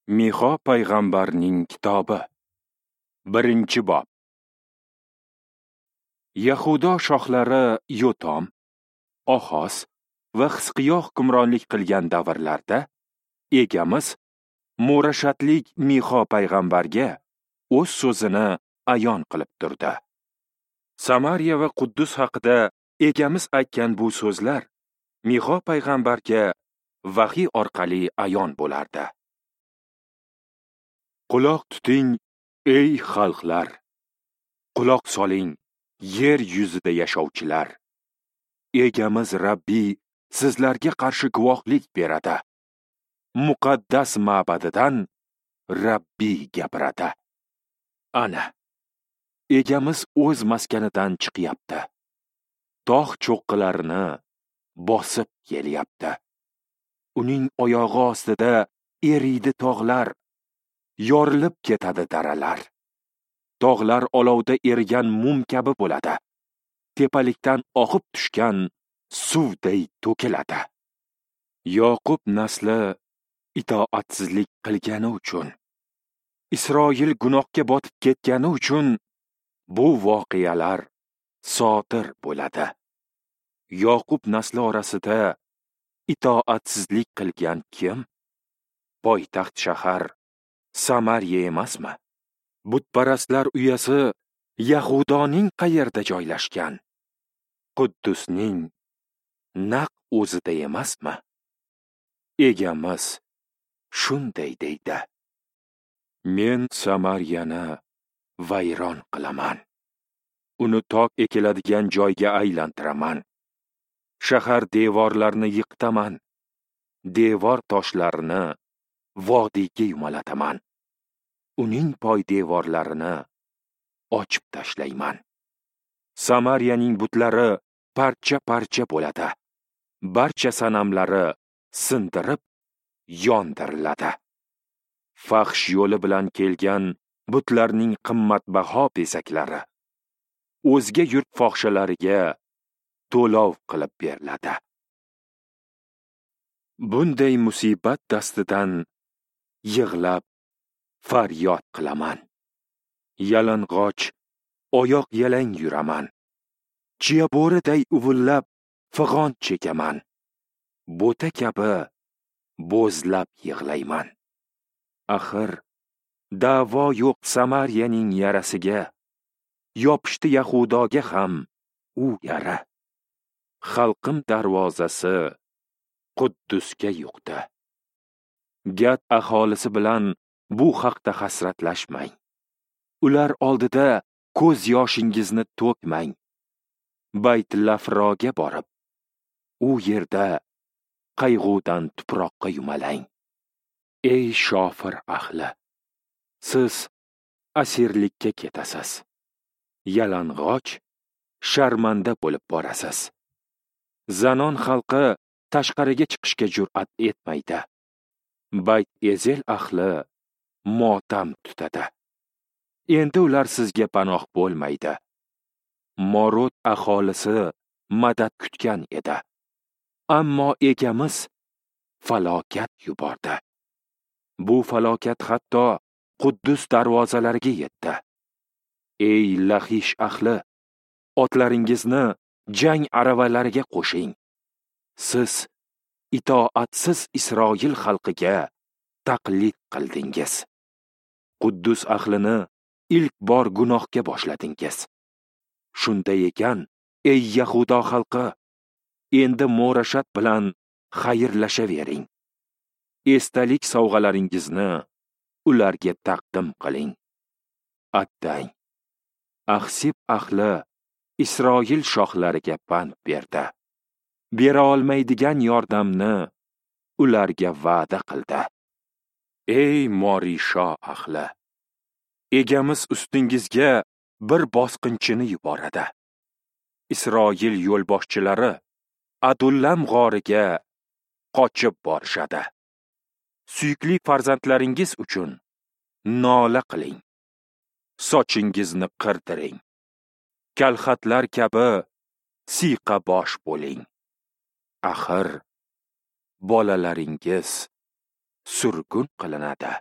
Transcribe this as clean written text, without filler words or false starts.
Mixo payg'ambarning kitobi, 1-bob. Yahudo shohlari Yotom, Oxoz va Xisqiyo hukmronlik qilgan davrlarda Egamiz Murashatlik Mixo payg'ambarga o'z so'zini ayon qilib turdi. Samariya va Quddus haqida Egamiz aytgan bu so'zlar Mixo payg'ambarga vahiy orqali ayon bo'lardi. Quloq tuting, ey xalqlar! Quloq soling, yer yuzida yashovchilar! Egamiz Rabbiy sizlarga qarshi guvohlik beradi. Muqaddas ma'badidan Rabbiy gapiradi. Ana, Egamiz o'z maskanidan chiqyapti. Tog' cho'qqilarini bosib kelyapti. Uning oyog'i ostida eriydi tog'lar, yorilib ketadi daralar. Tog'lar olovda erigan mum kabi bo'ladi. Tepalikdan oqib tushgan suvday to'kiladi. Yoqub nasli itoatsizlik qilgani uchun, Isroil gunohga botib ketgani uchun bu voqealar sodir bo'ladi. Yoqub nasli orasida itoatsizlik qilgan kim? Poytaxt shahar Samariya emasmi? Butparastlar uyasi Yahudoning qayerda joylashgan? Quddusning naq o'zida emasmi? Egamiz shunday deydi: Men Samariyani vayron qilaman. Uni tok ekiladigan joyga aylantiraman. Shahar devorlarini yiqitaman. Devor toshlarini vodiyga yumalataman. Uning poydevorlarini ochib tashlayman. Samariyaning butlari parcha-parcha bo'ladi. Barcha sanamlari sindirib yondiriladi. Fahsh yo'li bilan kelgan butlarning qimmatbaho bezaklari o'zga yurt fohishalariga to'lov qilib beriladi. Bunday musibat dastidan yig'lab faryod qilaman. Yalang'och, oyoq yalang yuraman. Chiya bo'riday uvillab fig'on chekaman. Bo'ta kabi bo'zlab yig'layman. Axir da'vo yo'q Samariyaning yarasiga, yopishdi Yahudoga ham u yara. Xalqim darvozasi Quddusga yuqdi. Gat aholisi bilan bu haqda hasratlashmang. Ular oldida ko'z yoshingizni to'kmang. Bayt Lafroga borib, u yerda qayg'udan tuproqqa yumalang. Ey shofir ahli, siz asirlikka ketasiz. Yalang'och, sharmanda bo'lib borasiz. Zanon xalqi tashqariga chiqishga jur'at etmaydi. Bayt Ezel ahli motam tutadi. Endi ular sizga panoh bo'lmaydi. Morot aholisi madad kutgan edi. Ammo Egamiz falokat yubordi. Bu falokat hatto Quddus darvozalariga yetdi. Ey Laxish ahli, otlaringizni jang aravalariga qo'shing. Siz itoatsiz Isroil xalqiga taqlid qildingiz. Quddus ahlini ilk bor gunohga boshladingiz. Shunday ekan, ey Yahudo xalqi, endi Morashat bilan xayrlashavering. Esdalik sovg'alaringizni ularga taqdim qiling. Attang, Axsib ahli Isroil shohlariga pand berdi. Bera olmaydigan yordamni ularga va'da qildi. Ey Morisho ahli, Egamiz ustingizga bir bosqinchini yuboradi. Isroil yo'lboshchilari Adullam g'origa qochib borishadi. Suyukli farzandlaringiz uchun nola qiling. Sochingizni qirdiring. Kalxatlar kabi siyqa bosh bo'ling. Axir bolalaringiz surgun qilinadi.